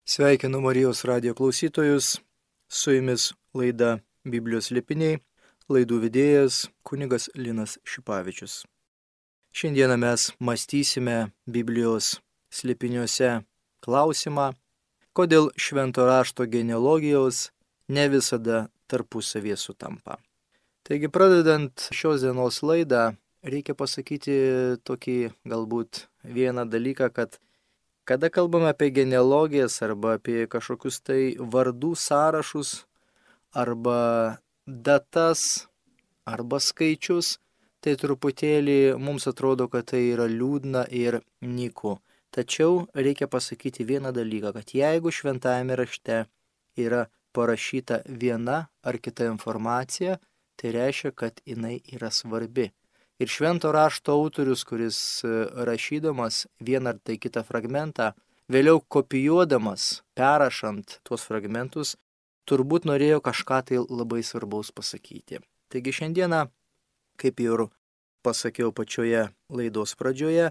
Sveikinu Marijos radijo klausytojus, su jumis laida Biblijos slėpiniai, laidų vedėjas kunigas Linas Šipavičius. Šiandieną mes mąstysime Biblijos slėpiniuose klausimą, kodėl švento rašto genealogijos ne visada tarpusavie sutampa. Taigi pradedant šios dienos laidą, reikia pasakyti tokį galbūt vieną dalyką, kad kada kalbame apie genealogijas arba apie kažkokius tai vardų sąrašus arba datas arba skaičius, tai truputėlį mums atrodo, kad tai yra liūdna ir nyku. Tačiau reikia pasakyti vieną dalyką, kad jeigu šventajame rašte yra parašyta viena ar kita informacija, tai reiškia, kad jinai yra svarbi. Ir švento rašto autorius, kuris rašydamas vieną ar tai kitą fragmentą, vėliau kopijuodamas, perrašant tuos fragmentus, turbūt norėjo kažką tai labai svarbaus pasakyti. Taigi šiandieną, kaip ir pasakiau pačioje laidos pradžioje,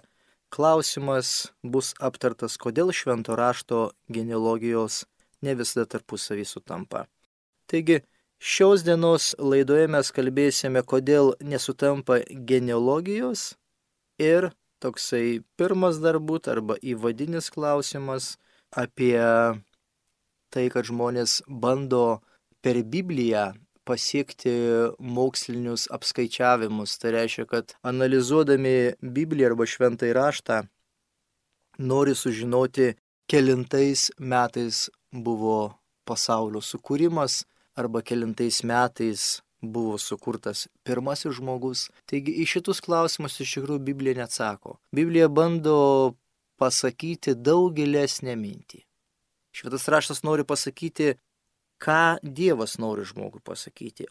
klausimas bus aptartas, kodėl švento rašto genealogijos ne visada tarpusavy sutampa. Taigi, šios dienos laidoje mes kalbėsime, kodėl nesutampa genealogijos ir toksai pirmas darbut arba įvadinis klausimas apie tai, kad žmonės bando per Bibliją pasiekti mokslinius apskaičiavimus. Tai reiškia, kad analizuodami Bibliją arba šventąjį raštą nori sužinoti, kelintais metais buvo pasaulio sukūrimas, arba kelintais metais buvo sukurtas pirmasis žmogus. Taigi į šitus klausimus iš tikrųjų Biblija neatsako. Biblija bando pasakyti daug gilesnę mintį. Šventas raštas nori pasakyti, ką Dievas nori žmogui pasakyti,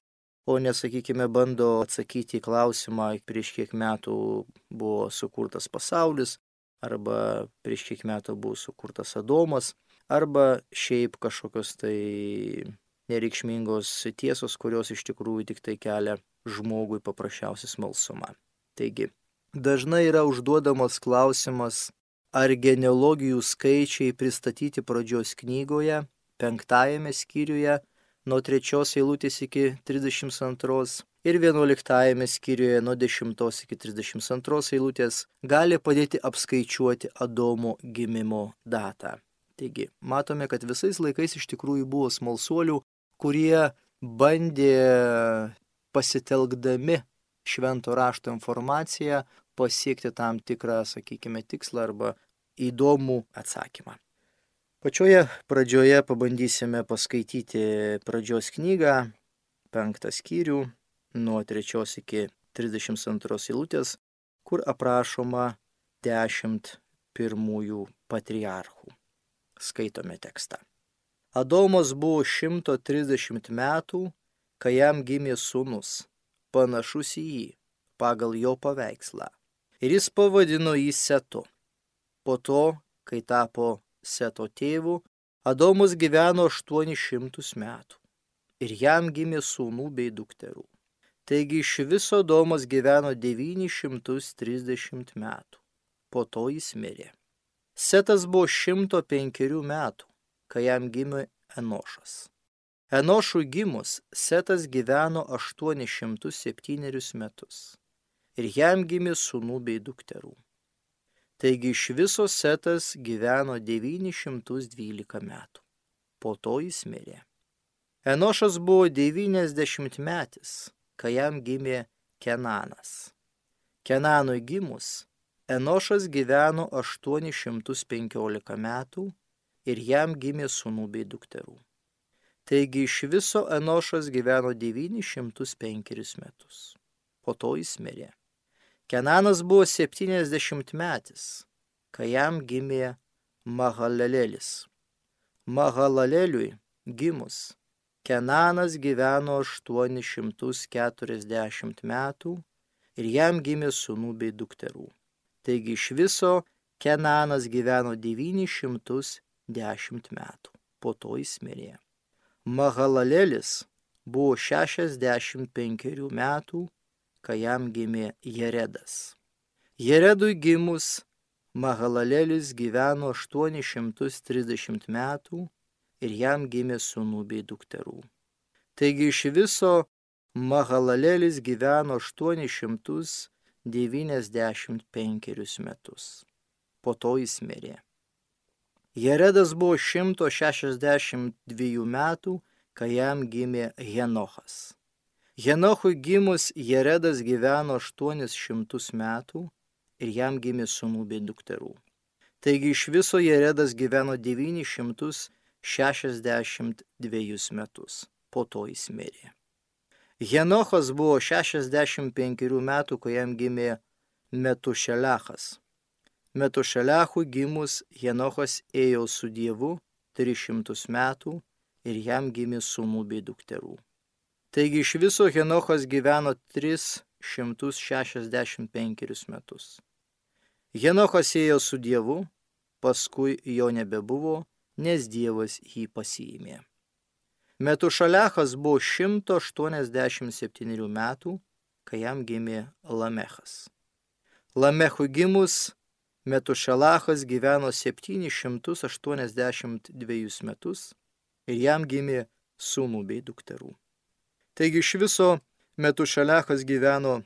o nesakykime bando atsakyti į klausimą, prieš kiek metų buvo sukurtas pasaulis, arba prieš kiek metų buvo sukurtas Adomas, arba šiaip kažkokios tai nereikšmingos tiesos, kurios iš tikrųjų tik tai kelia žmogui paprasčiausią smalsumą. Taigi, dažnai yra užduodamas klausimas, ar genealogijų skaičiai pristatyti pradžios knygoje, 5 skyriuje, nuo 3 eilutės iki 32 ir 11 skyriuje nuo 10 iki 32 eilutės gali padėti apskaičiuoti Adomo gimimo datą. Taigi, matome, kad visais laikais iš tikrųjų buvo smalsuolių, kurie bandė pasitelkdami švento rašto informaciją pasiekti tam tikrą, sakykime, tikslą arba įdomų atsakymą. Pačioje pradžioje pabandysime paskaityti pradžios knygą, 5 skyrių, nuo 3 iki 32 eilutės, kur aprašoma 10 pirmųjų patriarchų. Skaitome tekstą. Adomas buvo 130 metų, kai jam gimė sūnus, panašus į jį, pagal jo paveikslą. Ir jis pavadino jį Setu. Po to, kai tapo Seto tėvu, Adomas gyveno 800 metų. Ir jam gimė sūnų bei dukterų. Taigi iš viso Adomas gyveno 930 metų. Po to jis mirė. Setas buvo 105 metų, kai jam gimė Enošas. Enošui gimus, Setas gyveno 807 metus. Ir jam gimė sūnų bei dukterų. Taigi iš viso Setas gyveno 912 metų. Po to jis mirė. Enošas buvo 90 metis, kai jam gimė Kenanas. Kenanui gimus, Enošas gyveno 815 metų ir jam gimė sūnų bei dukterų. Taigi iš viso Enošas gyveno 905 metus. Po to jis mirė. Kenanas buvo 70 metis, kai jam gimė Mahalalelis. Mahalaleliui gimus, Kenanas gyveno 840 metų ir jam gimė sūnų bei dukterų. Taigi iš viso Kenanas gyveno 910 metų. Po to jis mirė. Mahalalelis buvo 65 metų, kai jam gimė Jeredas. Jeredui gimus, Mahalalelis gyveno 830 metų ir jam gimė sūnų bei dukterų. Taigi iš viso Mahalalelis gyveno 895 metus. Po to jis mirė. Jeredas buvo 162 metų, kai jam gimė Henochas. Henochui gimus Jeredas gyveno 800 metų ir jam gimė sūnų bei dukterų. Taigi iš viso Jeredas gyveno 962 metus. Po to jis mirė. Henochas buvo 65 metų, kai jam gimė Metušelachas. Metušelechui gimus Henochas ėjo su Dievu 300 metų ir jam gimė sūnų bei dukterų. Taigi iš viso Henochas gyveno 365 metus. Henochas ėjo su Dievu, paskui jo nebebuvo, nes Dievas jį pasiėmė. Metušelechas buvo 187 metų, kai jam gimė Lamechas. Lamechui gimus Metušelechas gyveno 782 metus ir jam gimė sūnų bei dukterų. Taigi iš viso Metušelechas gyveno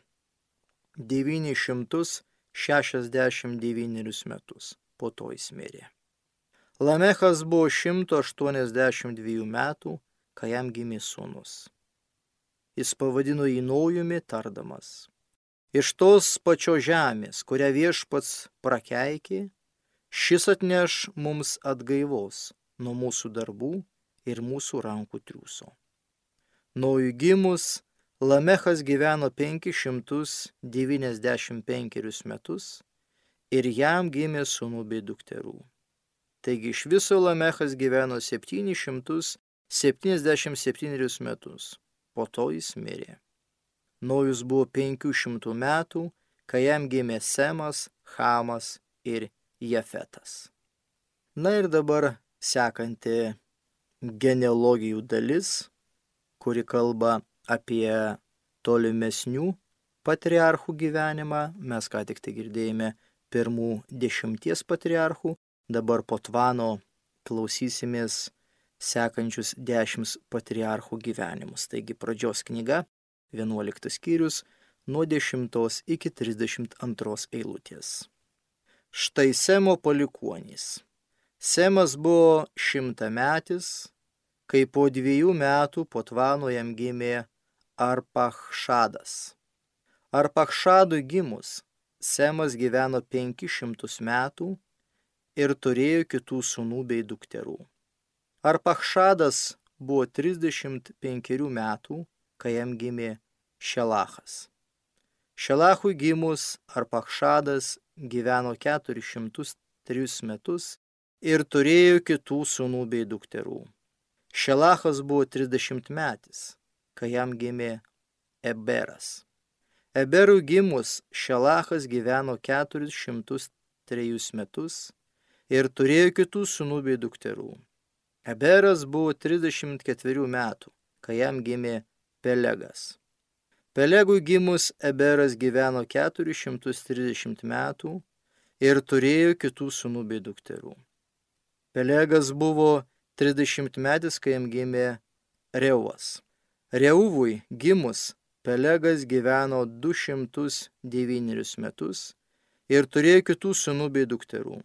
969 metus. Po to jis mirė. Lamechas buvo 182 metų, kai jam gimė sūnus. Jis pavadino jį Nojumi, tardamas: iš tos pačios žemės, kurią viešpats prakeikė, šis atneš mums atgaivos nuo mūsų darbų ir mūsų rankų triūso. Nojui gimus, Lamechas gyveno 595 metus ir jam gimė sūnų bei dukterų. Taigi iš viso Lamechas gyveno 777 metus. Po to jis mirė. Nojus buvo 500 metų, kai jam gimė Semas, Chamas ir Jefetas. Na ir dabar sekanti genealogijų dalis, kuri kalba apie tolimesnių patriarchų gyvenimą. Mes ką tik tai girdėjome pirmų 10 patriarchų, dabar po Tvano klausysimės sekančius 10 patriarchų gyvenimus. Taigi pradžios knyga, 11 skyrius, nuo 10 iki 32 eilutės. Štai Semo palikuonys. Semas buvo 100-metis, kai po 2 metų po Tvano jam gimė Arpachšadas. Arpachšadui gimus, Semas gyveno 500 metų ir turėjo kitų sūnų bei dukterų. Arpachšadas buvo 35 metų, kai jam gimė Šelachas. Šelachui gimus, Arpachšadas gyveno 403 metus ir turėjo kitų sūnų bei dukterų. Šelachas buvo 30 metis, kai jam gimė Eberas. Eberui gimus, Šelachas gyveno 403 metus ir turėjo kitų sūnų bei dukterų. Eberas buvo 34 metų, kai jam gimė Pelegas. Pelegui gimus, Eberas gyveno 430 metų ir turėjo kitų sūnų bei dukterų. Pelegas buvo 30 metis, kai jam gimė Reuvas. Reuvui gimus, Pelegas gyveno 209 metus ir turėjo kitų sūnų bei dukterų.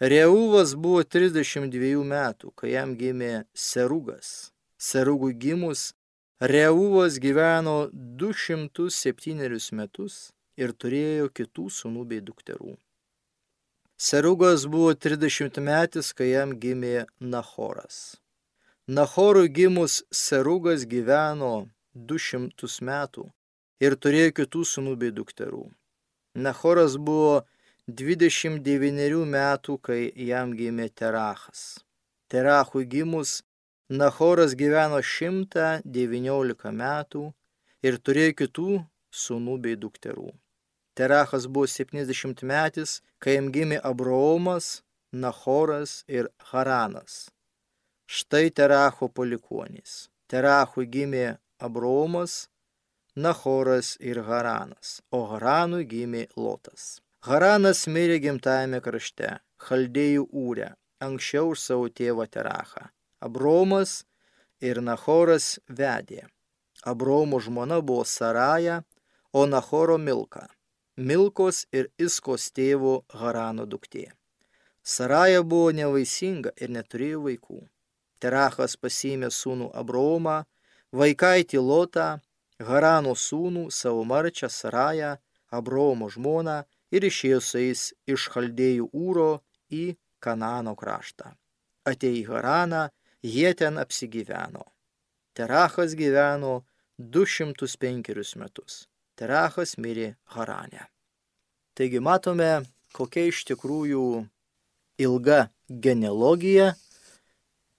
Reuvas buvo 32 metų, kai jam gimė Serugas. Serugui gimus, Reuvas gyveno 207 metus ir turėjo kitų sūnų bei dukterų. Serugas buvo 30 metis, kai jam gimė Nachoras. Nachorui gimus, Serugas gyveno 200 metų ir turėjo kitų sūnų bei dukterų. Nachoras buvo 29 metų, kai jam gimė Terachas. Terachui gimus, Nachoras gyveno 119 metų ir turėjo kitų sūnų bei dukterų. Terachas buvo 70 metis, kai jam gimė Abraomas, Nachoras ir Haranas. Štai Teracho palikuonys. Terachui gimė Abraomas, Nachoras ir Haranas, o Haranui gimė Lotas. Haranas mirė gimtajame krašte, Chaldėjų Ūre, anksčiau už savo tėvą Terachą. Abromas ir Nachoras vedė. Abromo žmona buvo Saraja, o Nachoro Milka. Milkos ir Iskos tėvo Harano duktė. Saraja buvo nevaisinga ir neturėjo vaikų. Terachas pasiėmė sūnų Abromą, vaikaitį Lotą, Harano sūnų, savo marčią Sarają, Abromo žmoną ir išėjo su jais iš Chaldėjų Ūro į Kanaano kraštą. Atėjo į Haraną, jie ten apsigyveno. Terachas gyveno 205 metus. Terachas mirė Harane. Taigi matome, kokia iš tikrųjų ilga genealogija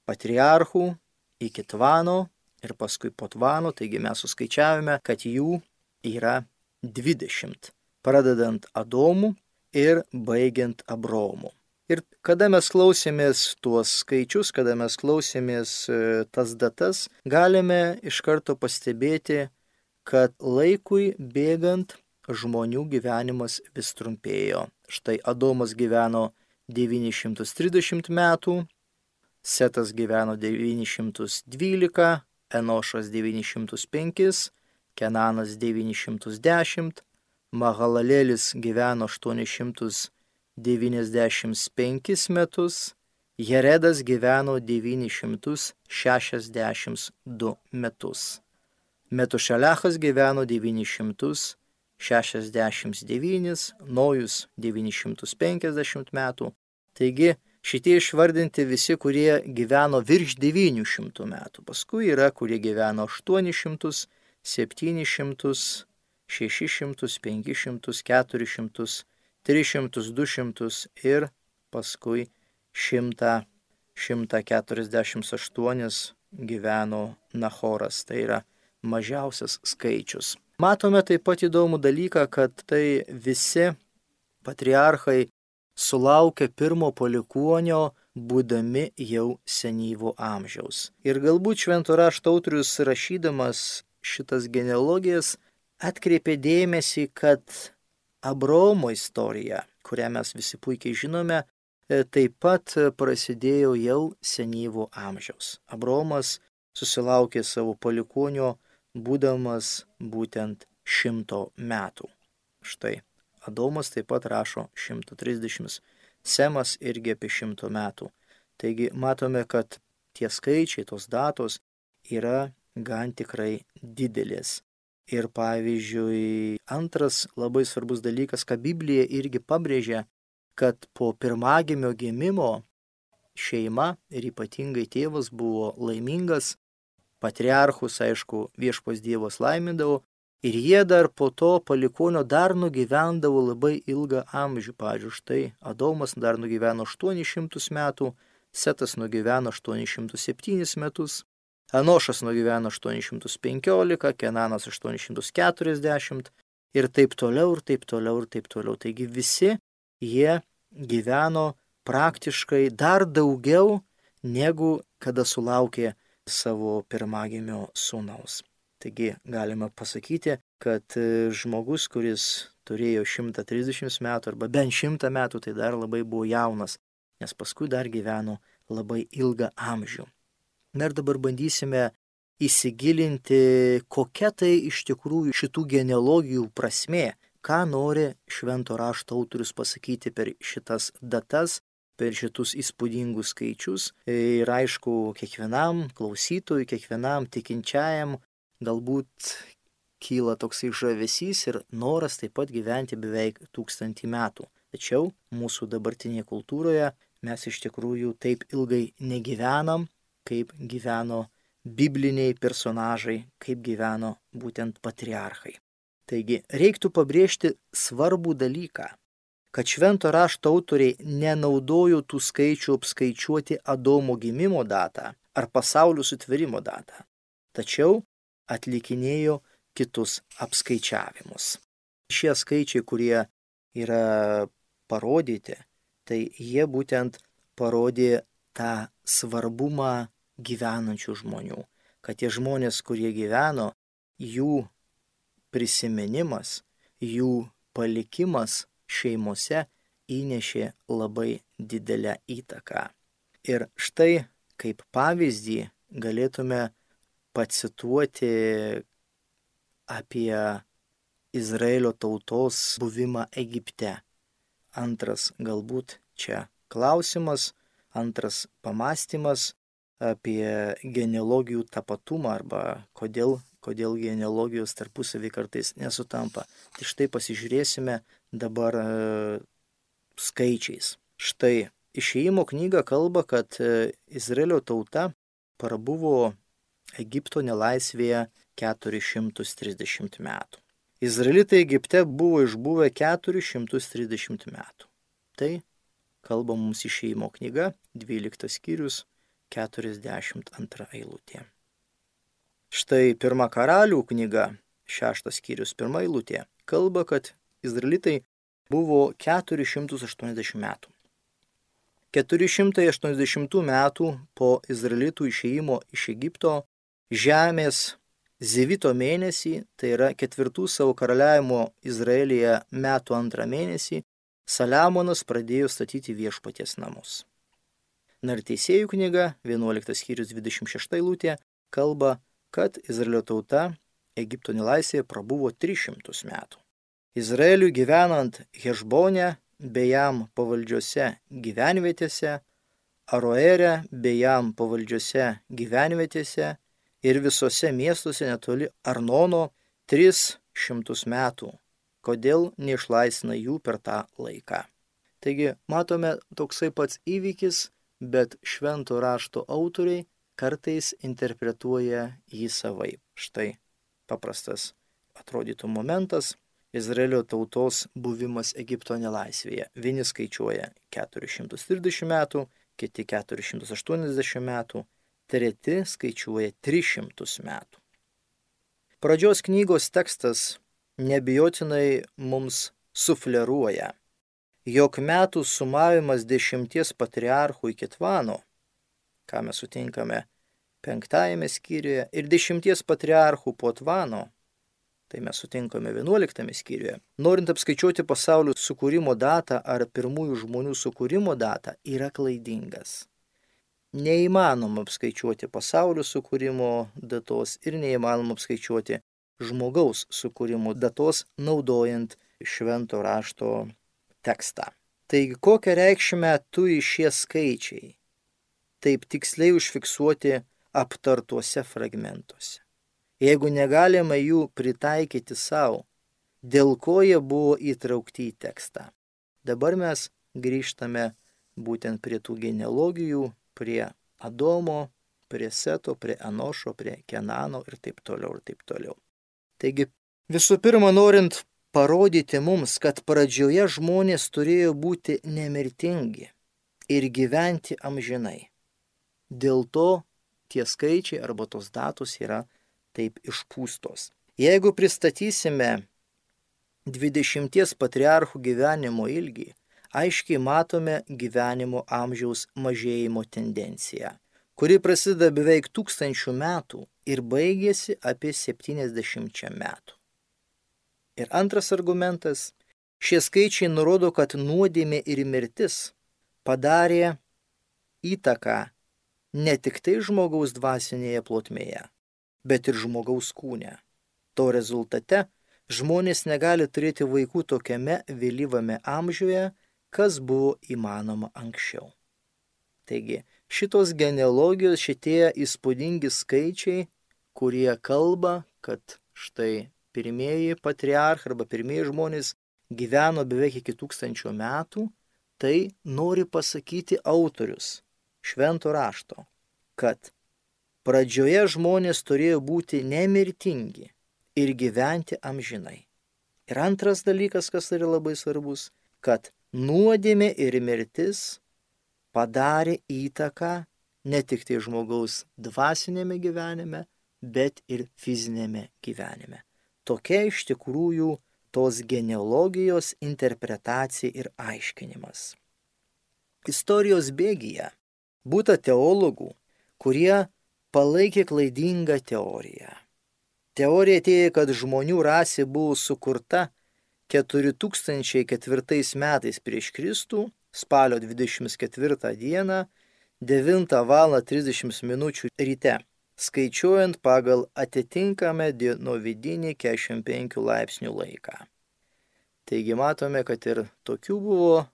patriarchų iki Tvano ir paskui po Tvano, taigi mes suskaičiavome, kad jų yra 20, pradedant Adomu ir baigiant Abromu. Ir kada mes klausėmės tuos skaičius, kada mes klausėmės tas datas, galime iš karto pastebėti, kad laikui bėgant žmonių gyvenimas vis trumpėjo. Štai Adomas gyveno 930 metų, Setas gyveno 912, Enošas 905, Kenanas 910, Mahalalėlis gyveno 895 metus, Jeredas gyveno 962 metus. Metušelechas gyveno 969, Nojus 950 metų. Taigi šitie išvardinti visi, kurie gyveno virš 900 metų. Paskui yra, kurie gyveno 800, 700, 600, 500, 400, 300, 200 ir paskui 100, 148 gyveno Nachoras. Tai yra mažiausias skaičius. Matome taip pat įdomų dalyką, kad tai visi patriarchai sulaukė pirmo palikuonio, būdami jau senyvo amžiaus. Ir galbūt švento rašto autorius rašydamas šitas genealogijas atkreipė dėmesį, kad Abromo istorija, kurią mes visi puikiai žinome, taip pat prasidėjo jau senyvo amžiaus. Abromas susilaukė savo palikuonio, būdamas būtent 100 metų. Štai Adomas taip pat rašo 130, Semas irgi apie 100 metų. Taigi matome, kad tie skaičiai, tos datos yra gan tikrai didelės. Ir pavyzdžiui, antras labai svarbus dalykas, ką Biblija irgi pabrėžia, kad po pirmagimio gimimo šeima ir ypatingai tėvas buvo laimingas, patriarchus, aišku, viešpats Dievas laimindavo, ir jie dar po to palikonio dar nugyvendavo labai ilgą amžių. Pavyzdžiui, štai Adomas dar nugyveno 800 metų, Setas nugyveno 807 metus, Enošas nugyveno 815, Kenanas 840 ir taip toliau, ir taip toliau, ir taip toliau. Taigi visi jie gyveno praktiškai dar daugiau, negu kada sulaukė savo pirmagimio sūnaus. Taigi galima pasakyti, kad žmogus, kuris turėjo 130 metų arba bent 100 metų, tai dar labai buvo jaunas, nes paskui dar gyveno labai ilgą amžių. Na ir dabar bandysime įsigilinti, kokia tai iš tikrųjų šitų genealogijų prasmė, ką nori švento rašto autorius pasakyti per šitas datas, per šitus įspūdingus skaičius. Ir aišku, kiekvienam klausytojui, kiekvienam tikinčiajam galbūt kyla toksai žavesys ir noras taip pat gyventi beveik 1000 metų. Tačiau mūsų dabartinėje kultūroje mes iš tikrųjų taip ilgai negyvenam, kaip gyveno bibliniai personažai, kaip gyveno būtent patriarchai. Taigi reiktų pabrėžti svarbų dalyką, kad švento rašto autoriai nenaudojo tų skaičių apskaičiuoti Adomo gimimo datą ar pasaulio sutvėrimo datą, tačiau atlikinėjo kitus apskaičiavimus. Šie skaičiai, kurie yra parodyti, tai jie būtent parodė tą svarbumą gyvenančių žmonių, kad tie žmonės, kurie gyveno, jų prisiminimas, jų palikimas šeimose įnešė labai didelę įtaką. Ir štai kaip pavyzdį galėtume pacituoti apie Izraelio tautos buvimą Egipte. Antras galbūt čia klausimas, antras pamąstymas apie genealogijų tapatumą arba kodėl genealogijos tarpusavį kartais nesutampa. Tai štai pasižiūrėsime dabar skaičiais. Štai Išėjimo knyga kalba, kad Izraelio tauta prabuvo Egipto nelaisvėje 430 metų. Izraelitai Egipte buvo išbuvę 430 metų. Tai kalba mums Išėjimo knyga, 12 skyrius, 42 eilutė. Štai Pirma Karalių knyga, 6 skyrius, 1 eilutė, kalba, kad Izraelitai buvo 480 metų. 480 metų po Izraelitų išėjimo iš Egipto žemės Zivito mėnesį, tai yra 4 savo karaliavimo Izraelyje metų 2 mėnesį, Saliamonas pradėjo statyti viešpaties namus. Ir Teisėjų knyga, 11 skyrius 26 eilutė, kalba, kad Izraelio tauta Egipto nelaisvėje prabuvo 300 metų. Izraeliui gyvenant Hešbone bei jam pavaldžiose gyvenvietėse, Aroere bei jam pavaldžiose gyvenvietėse ir visose miestuose netoli Arnono 300 metų. Kodėl neišlaisvina jų per tą laiką? Taigi, matome toksai pats įvykis, bet švento rašto autoriai kartais interpretuoja jį savaip. Štai paprastas atrodytų momentas. Izraelio tautos buvimas Egipto nelaisvėje. Vieni skaičiuoja 430 metų, kiti 480 metų, treti skaičiuoja 300 metų. Pradžios knygos tekstas nebijotinai mums sufleruoja, jog metų sumavimas 10 patriarchų iki Tvano, ką mes sutinkame 5 skyriuje, ir 10 patriarchų po Tvano, tai mes sutinkame 11 skyriuje. Norint apskaičiuoti pasaulio sukūrimo datą ar pirmųjų žmonių sukūrimo datą, yra klaidingas. Neįmanoma apskaičiuoti pasaulio sukūrimo datos ir neįmanoma apskaičiuoti žmogaus sukūrimo datos naudojant švento rašto tekstą. Taigi, kokią reikšmę turi šie skaičiai, taip tiksliai užfiksuoti aptartuose fragmentuose? Jeigu negalime jų pritaikyti savo, dėl ko jie buvo įtraukti į tekstą. Dabar mes grįžtame būtent prie tų genealogijų, prie Adomo, prie Seto, prie Enošo, prie Kenano ir taip toliau ir taip toliau. Taigi, visų pirma, norint parodyti mums, kad pradžioje žmonės turėjo būti nemirtingi ir gyventi amžinai. Dėl to tie skaičiai arba tos datos yra taip išpūstos. Jeigu pristatysime 20 patriarchų gyvenimo ilgį, aiškiai matome gyvenimo amžiaus mažėjimo tendenciją, kuri prasideda beveik 1000 metų ir baigėsi apie 70 metų. Ir antras argumentas, šie skaičiai nurodo, kad nuodėmė ir mirtis padarė įtaką ne tik tai žmogaus dvasinėje plotmėje, bet ir žmogaus kūne. To rezultate žmonės negali turėti vaikų tokiame vėlyvame amžiuje, kas buvo įmanoma anksčiau. Taigi, šitos genealogijos, šitie įspūdingi skaičiai, kurie kalba, kad štai pirmieji patriarchai arba pirmieji žmonės gyveno beveik iki 1000 metų, tai nori pasakyti autorius švento rašto, kad pradžioje žmonės turėjo būti nemirtingi ir gyventi amžinai. Ir antras dalykas, kas yra labai svarbus, kad nuodėmė ir mirtis padarė įtaką ne tik tai žmogaus dvasinėme gyvenime, bet ir fizinėme gyvenime. Tokia iš tikrųjų tos genealogijos interpretacija ir aiškinimas. Istorijos bėgyje būta teologų, kurie palaikė klaidingą teoriją. Teorija teigia, kad žmonių rasė buvo sukurta 4004 metais prieš Kristų, spalio 24 dieną, 9:30 ryte, skaičiuojant pagal atitinkamą dienovidinį 45 laipsnių laiką. Taigi matome, kad ir tokių buvo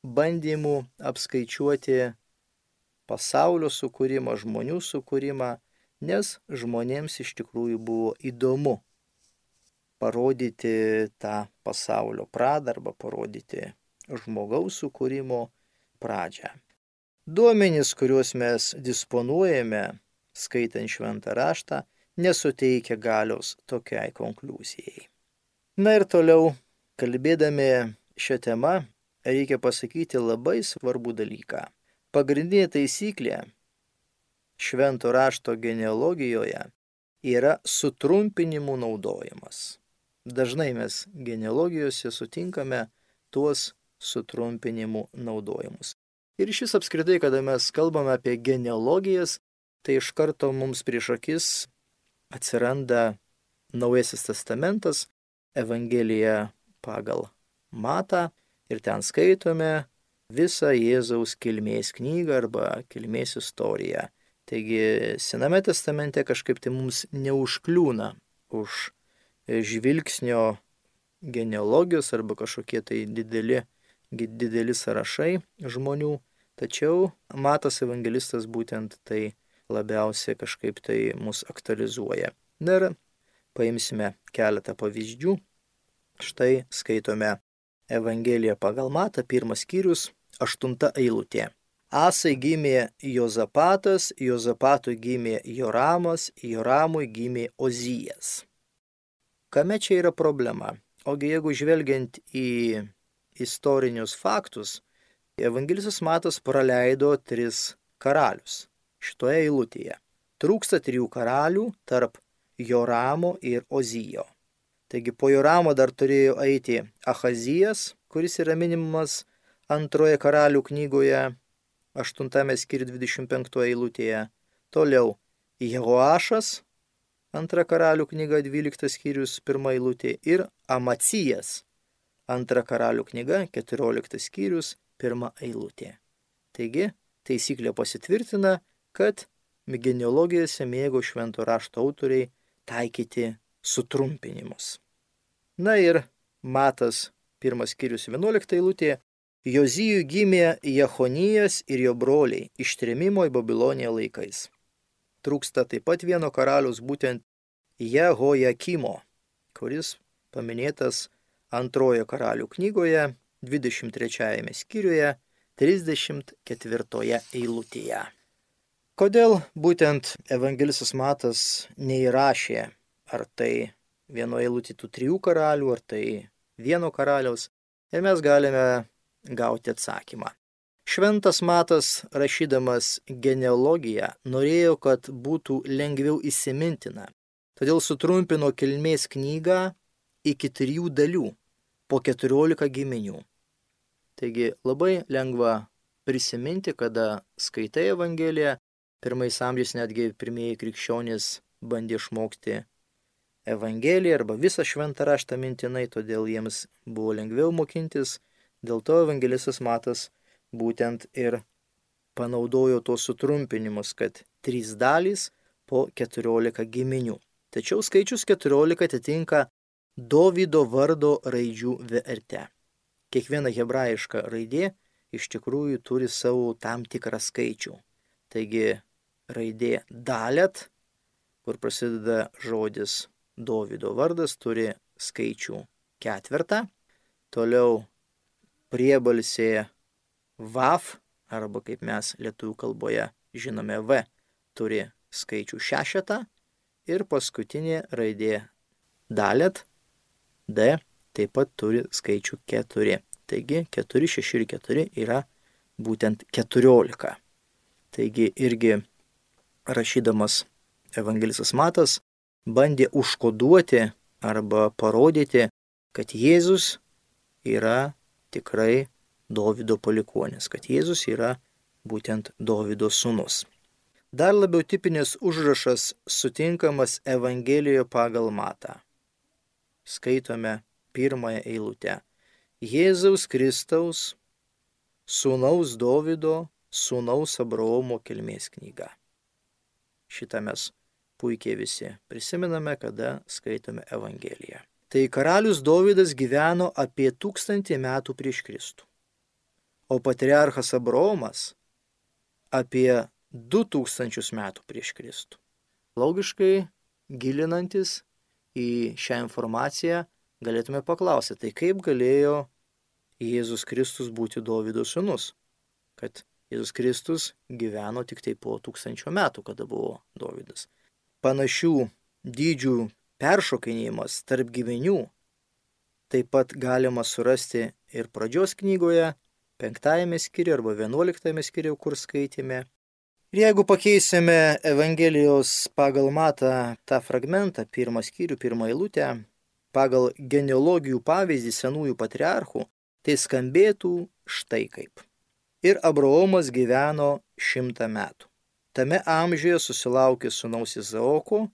bandymų apskaičiuoti pasaulio sukūrimą, žmonių sukūrimą, nes žmonėms iš tikrųjų buvo įdomu parodyti tą pasaulio pradą arba parodyti žmogaus sukūrimo pradžią. Duomenys, kuriuos mes disponuojame, skaitant šventą raštą, nesuteikia galios tokiai konkluzijai. Na ir toliau, kalbėdami šią temą, reikia pasakyti labai svarbų dalyką. Pagrindinė taisyklė švento rašto genealogijoje yra sutrumpinimų naudojimas. Dažnai mes genealogijose sutinkame tuos sutrumpinimų naudojimus. Ir šis apskritai, kada mes kalbame apie genealogijas, tai iš karto mums prieš akis atsiranda Naujasis testamentas, Evangelija pagal Matą, ir ten skaitome visą Jėzaus kilmės knygą arba kilmės istoriją. Taigi Sename testamente kažkaip tai mums neužkliūna už žvilgsnio genealogijos arba kažkokie tai dideli sąrašai žmonių, tačiau Matas evangelistas būtent tai labiausiai kažkaip tai mus aktualizuoja. Na ir paimsime keletą pavyzdžių. Štai skaitome Evangeliją pagal Matą, 1 skyrius, 8 eilutė. Asai gimė Jozapatas, Jozapatui gimė Joramas, Joramui gimė Ozijas. Kame čia yra problema? Ogi jeigu žvelgiant į istorinius faktus, evangelistas Matas praleido 3 karalius šitoje eilutėje. Trūksta 3 karalių tarp Joramo ir Ozijo. Taigi po Joramo dar turėjo eiti Ahazijas, kuris yra minimas 2 karalių knygoje, 8 skyriuje 25 eilutėje. Toliau Jehoašas, 2 karalių knyga 12 skyrius 1 eilutė, ir Amacijas, 2 karalių knyga 14 skyrius 1 eilutė. Taigi taisyklė pasitvirtina, kad genealogijose mėgo švento rašto autoriai taikyti sutrumpinimus. Na ir Matas 1 skyrius 11 eilutė. Jozijui gimė Jechonijas ir jo broliai ištrėmimo į Babiloniją laikais. Trūksta taip pat vieno karaliaus, būtent Jehojakimo, kuris paminėtas 2 karalių knygoje 23 skyriuje 34 eilutėje. Kodėl būtent evangelistas Matas neįrašė, ar tai vieno eilutė tų 3 karalių, ar tai vieno karaliaus, ir mes galime gauti atsakymą. Šventas Matas, rašydamas genealogiją, norėjo, kad būtų lengviau įsimintina, todėl sutrumpino kilmės knygą iki 3 dalių, po 14 giminių. Taigi labai lengva prisiminti, kada skaitai Evangeliją. 1 amžiais netgi pirmieji krikščionys bandė išmokti Evangeliją arba visą šventą raštą mintinai, todėl jiems buvo lengviau mokintis. Dėl to evangelistas Matas būtent ir panaudojo tos sutrumpinimus, kad 3 dalys po 14 giminių. Tačiau skaičius 14 atitinka Dovydo vardo raidžių vertę. Kiekviena hebrajiška raidė iš tikrųjų turi savo tam tikrą skaičių. Taigi raidė Dalet, kur prasideda žodis Dovydo vardas, turi skaičių 4. Toliau priebalsė Vav, arba kaip mes lietuvių kalboje žinome V, turi skaičių 6. Ir paskutinė raidė Dalet, D, taip pat turi skaičių 4. Taigi 4, 6 ir 4 yra būtent 14. Taigi irgi rašydamas evangelistas Matas bandė užkoduoti arba parodyti, kad Jėzus yra tikrai Dovydo palikuonis, kad Jėzus yra būtent Dovydo sūnus. Dar labiau tipinis užrašas sutinkamas Evangelijoje pagal Matą. Skaitome pirmąją eilutę. Jėzaus Kristaus, sūnaus Dovydo, sūnaus Abraomo kilmės knyga. Šitą mes puikiai visi prisimename, kada skaitome Evangeliją. Tai karalius Dovydas gyveno apie 1000 metų prieš Kristų, o patriarchas Abraomas apie 2000 metų prieš Kristų. Logiškai gilinantis į šią informaciją galėtume paklausyti, tai kaip galėjo Jėzus Kristus būti Dovydo sūnus, kad Jėzus Kristus gyveno tik tai po 1000 metų, kada buvo Dovydas. Panašių dydžių peršokinėjimas tarp giminių taip pat galima surasti ir pradžios knygoje, 5 skyriuje arba 11 skyriuje, kur skaitėme. Ir jeigu pakeisime Evangelijos pagal Matą tą fragmentą, 1 skyrių, 1 eilutę, pagal genealogijų pavyzdį senųjų patriarchų, tai skambėtų štai kaip. Ir Abraomas gyveno 100 metų. Tame amžiuje susilaukė sūnaus Izaoko,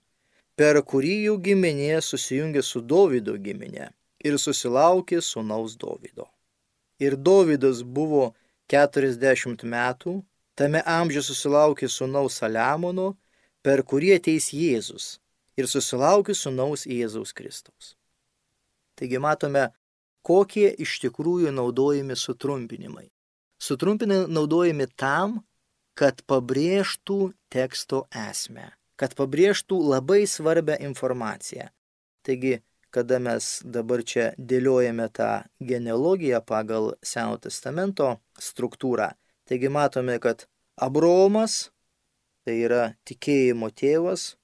per kurį jų giminė susijungė su Dovydo giminė ir susilaukė sūnaus Dovydo. Ir Dovydas buvo 40 metų, tame amžiuje susilaukė sūnaus Saliamono, per kurį ateis Jėzus ir susilaukė sūnaus Jėzaus Kristaus. Taigi matome, kokie iš tikrųjų naudojami sutrumpinimai. Sutrumpinimai naudojami tam, kad pabrėžtų teksto esmę, kad pabrėžtų labai svarbią informaciją. Taigi, kada mes dabar čia dėliojame tą genealogiją pagal Senojo testamento struktūrą, taigi matome, kad Abraomas, tai yra tikėjimo tėvas,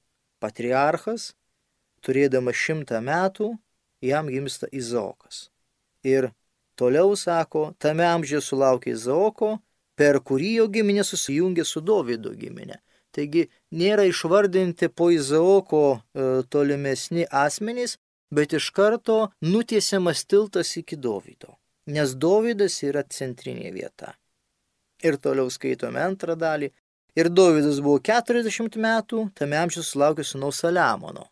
patriarchas, turėdamas 100 metų, jam gimsta Izaokas. Ir toliau sako, tame amžiuje sulaukė Izaoko, per kurį jo giminė susijungė su Dovydo giminė. Taigi nėra išvardinti po Izaoko tolimesni asmenys, bet iš karto nutiesiamas tiltas iki Dovydo, nes Dovydas yra centrinė vieta. Ir toliau skaitome antrą dalį. Ir Dovydas buvo 40 metų, tame amžiuje sulaukė sūnaus Saliamono,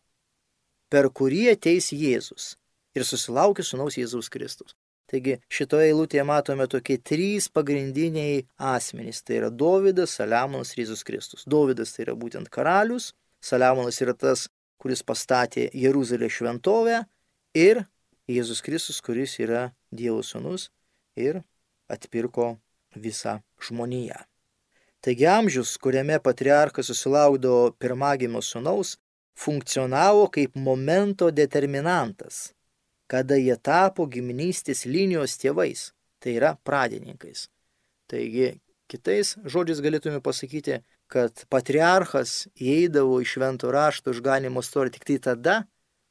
per kurį ateis Jėzus ir susilaukė sūnaus Jėzaus Kristaus. Taigi šitoje eilutėje matome tokie 3 pagrindiniai asmenys. Tai yra Dovydas, Saliamonas ir Jėzus Kristus. Dovydas tai yra būtent karalius, Saliamonas yra tas, kuris pastatė Jeruzalės šventovę, ir Jėzus Kristus, kuris yra Dievo sūnus ir atpirko visą žmoniją. Taigi amžius, kuriame patriarchas susilaukdavo pirmagimio sūnaus, funkcionavo kaip momento determinantas, kada jie tapo giminystės linijos tėvais, tai yra pradininkais. Taigi, kitais žodžiais galėtume pasakyti, kad patriarchas įeidavo į švento rašto išganymo istoriją tik tai tada,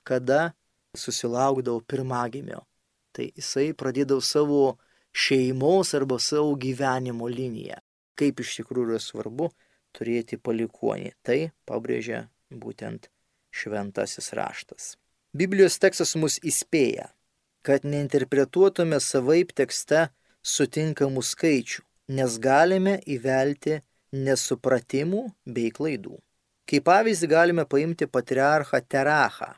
kada susilaukdavo pirmagimio. Tai jisai pradėdavo savo šeimos arba savo gyvenimo liniją. Kaip iš tikrųjų yra svarbu turėti palikuonį. Tai pabrėžia būtent šventasis raštas. Biblijos tekstas mus įspėja, kad neinterpretuotume savaip tekste sutinkamų skaičių, nes galime įvelti nesupratimų bei klaidų. Kaip pavyzdį galime paimti patriarchą Terachą.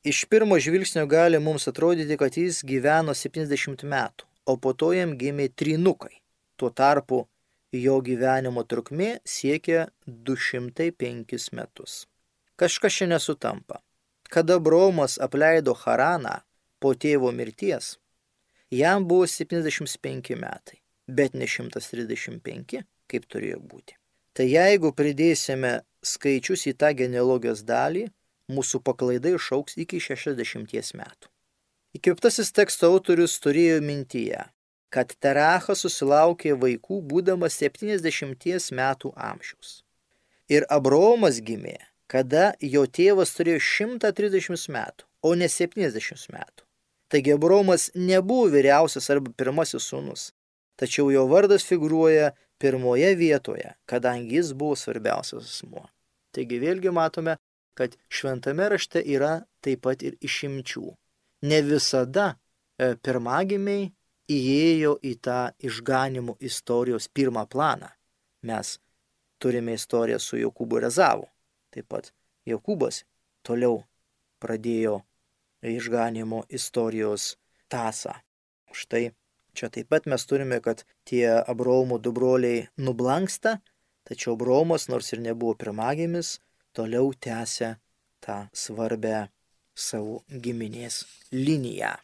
Iš pirmo žvilgsnio gali mums atrodyti, kad jis gyveno 70 metų, o po to jam gimė trynukai. Tuo tarpu jo gyvenimo trukmė siekia 205 metus. Kažkas čia nesutampa. Kada Abraomas apleido Haraną po tėvo mirties, jam buvo 75 metai, bet ne 135, kaip turėjo būti. Tai jeigu pridėsime skaičius į tą genealogijos dalį, mūsų paklaida išaugs iki 60 metų. Įkvėptasis teksto autorius turėjo mintyje, kad Terachas susilaukė vaikų būdamas 70 metų amžiaus. Ir Abraomas gimė, kada jo tėvas turėjo 130 metų, o ne 70 metų. Taigi Abraomas nebuvo vyriausias arba pirmasis sūnus, tačiau jo vardas figūruoja pirmoje vietoje, kadangi jis buvo svarbiausias asmuo. Taigi vėlgi matome, kad šventame rašte yra taip pat ir išimčių. Ne visada pirmagimiai įėjo į tą išganimo istorijos pirmą planą. Mes turime istoriją su Jokūbu ir Ezavu. Taip pat Jokūbas toliau pradėjo išganimo istorijos tąsą. Štai čia taip pat mes turime, kad tie Abraomo du broliai nublanksta, tačiau Abraomas, nors ir nebuvo pirmagimis, toliau tęsia tą svarbę savo giminės liniją.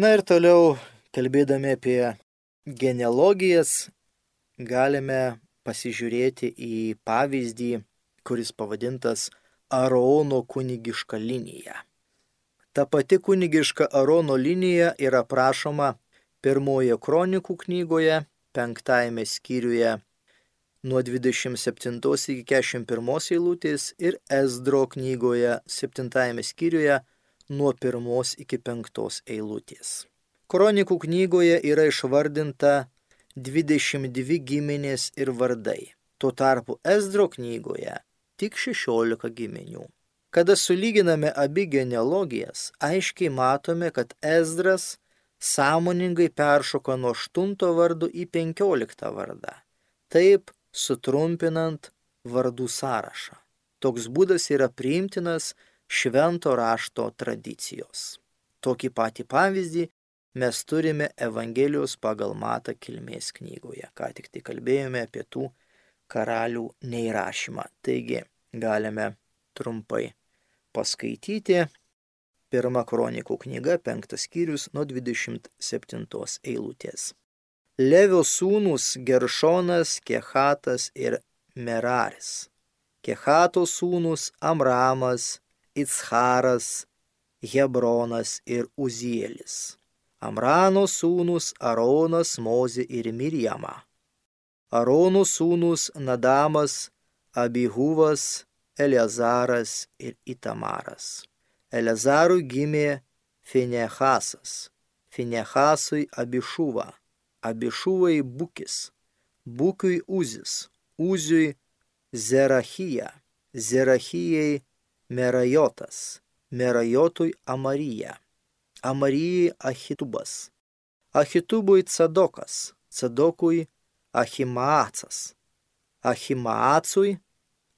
Na ir toliau, kalbėdami apie genealogijas, galime pasižiūrėti į pavyzdį, kuris pavadintas Arono kunigiška linija. Ta pati kunigiška Arono linija yra aprašoma Pirmoje kronikų knygoje, 5 skyriuje nuo 27 iki 41 eilutės ir Ezdro knygoje 7 skyriuje nuo 1 iki 5 eilutės. Kronikų knygoje yra išvardinta 22 giminės ir vardai. Tuo tarpu Ezdro knygoje tik 16 giminių. Kada sulyginame abi genealogijas, aiškiai matome, kad Ezdras sąmoningai peršoka nuo 8 vardo į 15 vardą, taip sutrumpinant vardų sąrašą. Toks būdas yra priimtinas švento rašto tradicijos. Tokį patį pavyzdį mes turime Evangelijos pagal Matą kilmės knygoje. Ką tik tai kalbėjome apie tų karalių neįrašymą. Taigi galime trumpai paskaityti. 1 kronikų knyga, 5 skyrius nuo 27 eilutės. Levio sūnūs Geršonas, Kehatas ir Meraris. Kehato sūnūs Amramas, Iccharas, Hebronas ir Uzielis. Amrano sūnūs Aronas, Mozė ir Mirjama. Arono sūnūs Nadamas, Abihuvas, Eleazaras ir Itamaras. Eleazarui gimė Finehasas, Finehasui Abišuva, Abišuvai Bukis, Bukiui Uzis, Uziui Zerachija, Zerachijai Merajotas, Merajotui Amarija, Amarijai Ahitubas, Ahitubui Cadokas, Cadokui Ahimaacas, Ahimaacui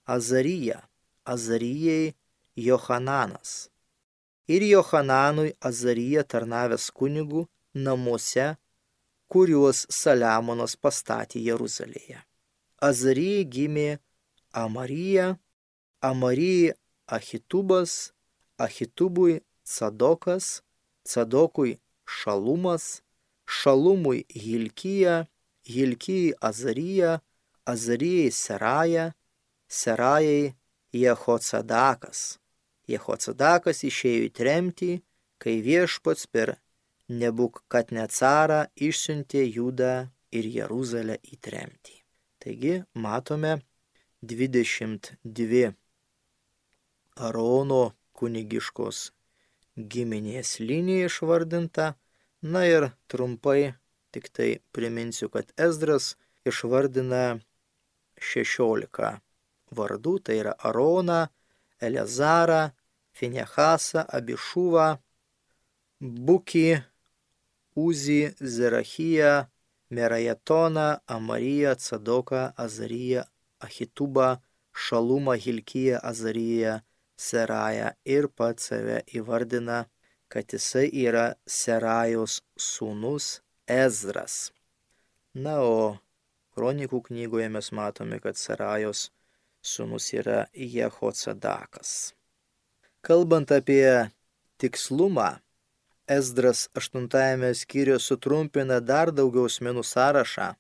Azarija, Azarijai Johananas ir Johananui Azarija tarnavęs kunigų namuose, kuriuos Saliamonas pastatė Jeruzalėje. Azarijai gimė Amarija, Amarijai Ahitubas, Ahitubui Cadokas, Cadokui Šalumas, Šalumui Hilkija, Hilkijai Azarija, Azarijai Seraja, Serajai Jehocadakas. Jehocadakas išėjo į tremtį, kai viešpats per Nebukadnecarą išsiuntė Judą ir Jeruzalę į tremtį. Taigi matome 22 Arono kunigiškos giminės linija išvardinta. Na ir trumpai tik tai priminsiu, kad Ezdras išvardina 16 vardų, tai yra Aroną, Eleazarą, Finehasą, Abišuvą, Bukį, Uzį, Zerachiją, Merajatoną, Amariją, Cadoką, Azariją, Ahitubą, Šalumą, Hilkiją, Azariją, Serają ir pats save įvardina, kad jisai yra Serajos sūnus Ezras. Na, o kronikų knygoje mes matome, kad Serajos sūnus yra Jehocadakas. Kalbant apie tikslumą, Ezdras 8 skyriuje sutrumpina dar daugiau asmenų sąrašą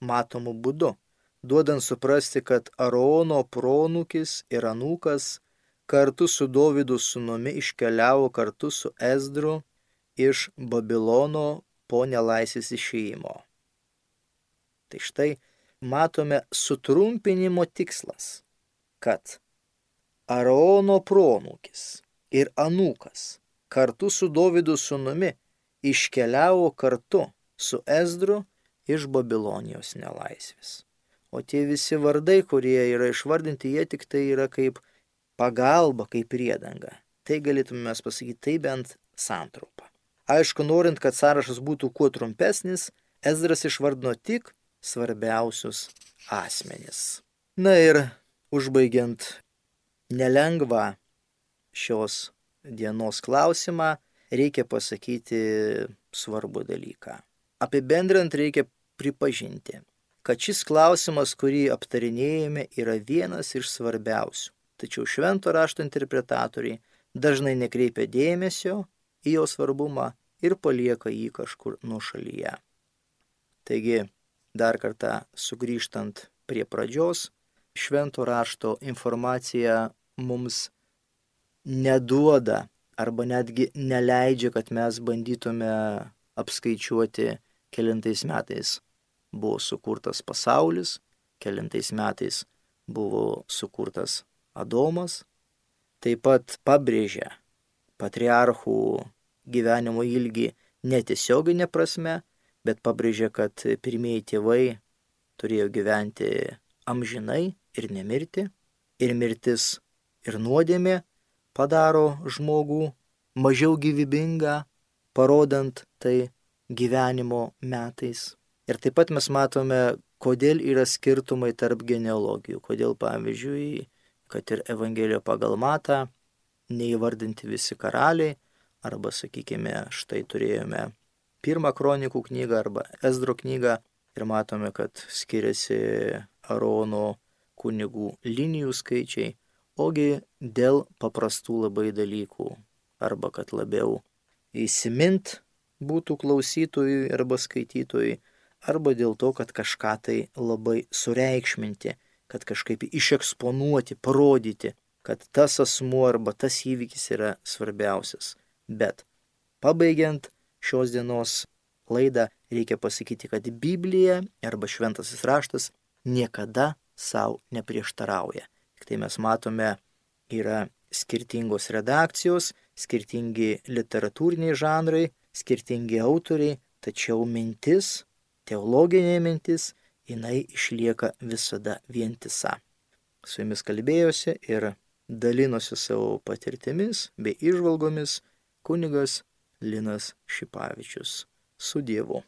matomų būdu, duodant suprasti, kad Arono pronūkis ir anūkas kartu su Dovydo sūnumi iškeliavo kartu su Ezdru iš Babilono po nelaisvės išėjimo. Tai štai matome sutrumpinimo tikslas, kad Arono pronūkis ir anūkas kartu su Dovydo sūnumi iškeliavo kartu su Ezdru iš Babilonijos nelaisvės. O tie visi vardai, kurie yra išvardinti, jie tik tai yra kaip pagalba, kaip priedanga. Tai galėtume mes pasakyti, tai bent santraupa. Aišku, norint, kad sąrašas būtų kuo trumpesnis, Ezdras išvardino tik svarbiausius asmenis. Na ir užbaigiant nelengvą šios dienos klausimą, reikia pasakyti svarbų dalyką. Apibendrinant reikia pripažinti, kad šis klausimas, kurį aptarinėjame, yra vienas iš svarbiausių. Tačiau švento rašto interpretatoriai dažnai nekreipia dėmesio į jo svarbumą ir palieka jį kažkur nuošalyje. Taigi, dar kartą sugrįžtant prie pradžios, švento rašto informacija mums neduoda arba netgi neleidžia, kad mes bandytume apskaičiuoti, kelintais metais buvo sukurtas pasaulis, kelintais metais buvo sukurtas Adomas. Taip pat pabrėžia patriarchų gyvenimo ilgį netiesioginė prasme, bet pabrėžia, kad pirmieji tėvai turėjo gyventi amžinai ir nemirti, ir mirtis ir nuodėmė padaro žmogų mažiau gyvybingą, parodant tai gyvenimo metais. Ir taip pat mes matome, kodėl yra skirtumai tarp genealogijų, kodėl pavyzdžiui, kad ir Evangelijoje pagal Matą neįvardinti visi karaliai, arba sakykime, štai turėjome pirmą kronikų knygą arba Ezdro knygą ir matome, kad skiriasi Arono kunigų linijų skaičiai, ogi dėl paprastų labai dalykų, arba kad labiau įsimint būtų klausytojui arba skaitytojui, arba dėl to, kad kažką tai labai sureikšminti, kad kažkaip išeksponuoti, parodyti, kad tas asmuo arba tas įvykis yra svarbiausias. Bet pabaigiant šios dienos laidą, reikia pasakyti, kad Biblija arba šventasis raštas niekada savo neprieštarauja. Tik tai mes matome, yra skirtingos redakcijos, skirtingi literatūriniai žanrai, skirtingi autoriai, tačiau mintis, teologinė mintis, jinai išlieka visada vientisa. Su jumis kalbėjosi ir dalinosi savo patirtimis bei įžvalgomis kunigas Linas Šipavičius. Su Dievu.